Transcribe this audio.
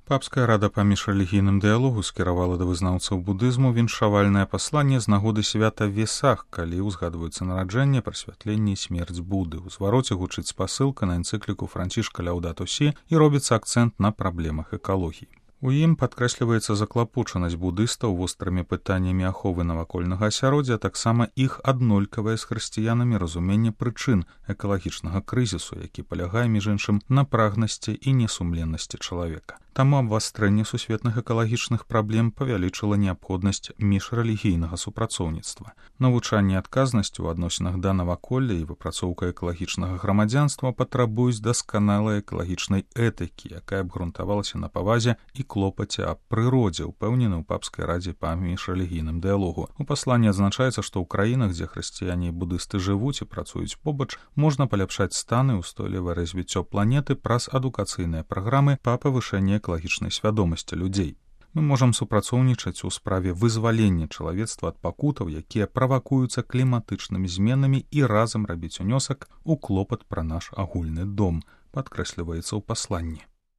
Папская рада па міжрэлігійным дыялогу скіравала да вызнаўцаў будызму віншавальнае пасланне з нагоды свята Весах, калі ўзгадваюцца нараджэнне, прасвятленне і смерць Буды. У звароце гучыць спасылка на энцыкліку Францішка Ляўдату Сі і робіцца акцэнт на праблемах экалогіі. У ім падкрэсліваецца заклапочанасць будыстаў вострымі пытаннямі аховы навакольнага асяроддзя, таксама іх аднолькавае з хрысціянамі разуменне прычын экалагічнага крызісу, які палягае, між іншым, на прагнасці і несумленнасці чалавека. Таму абвастрэнне сусветных экалагічных праблем павялічыла неабходнасць міжрэлігійнага супрацоўніцтва. Навучанне адказнасці ў адносінах да наваколля і выпрацоўка экалагічнага грамадзянства патрабуюць дасканалай экалагічнай этыкі, якая абгрунтавалася на павазе і клопаце аб прыродзе, упэўнены ў папскай радзе па міжрэлігійным дыялогу. У пасланні адзначаецца, што ў краінах, дзе хрысціяне і будысты жывуць і працуюць побач, можна паляпшаць стан і ўстойлівае развіццё планеты праз адукацыйныя праграмы па павышэнні экалагічнай свядомасці людзей. Мы можам супрацоўнічаць у справе вызвалення чалавецтва ад пакутаў, якія правакуюцца кліматычнымі зменамі, і разам рабіць унёсак у клопат пра наш агульны дом, падкрэсліваецца ў пасланні.